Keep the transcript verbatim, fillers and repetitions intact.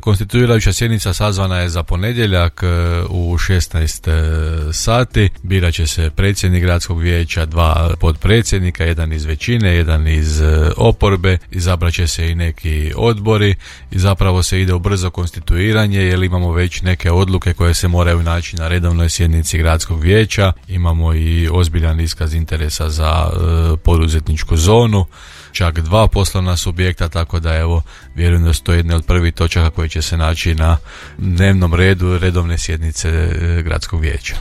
Konstituirajuća sjednica sazvana je za ponedjeljak u šesnaest sati. Birat će se predsjednik gradskog vijeća, dva potpredsjednika, jedan iz većine, jedan iz oporbe, izabrat će se i neki odbori i zapravo se ide u brzo konstituiranje jer imamo već neke odluke koje se moraju naći na redovnoj sjednici gradskog vijeća. Imamo i ozbiljan iskaz interesa za e, poduzetničku zonu, čak dva poslovna subjekta, tako da evo vjerujem da su to jedne od prvih točaka koje će se naći na dnevnom redu redovne sjednice gradskog vijeća.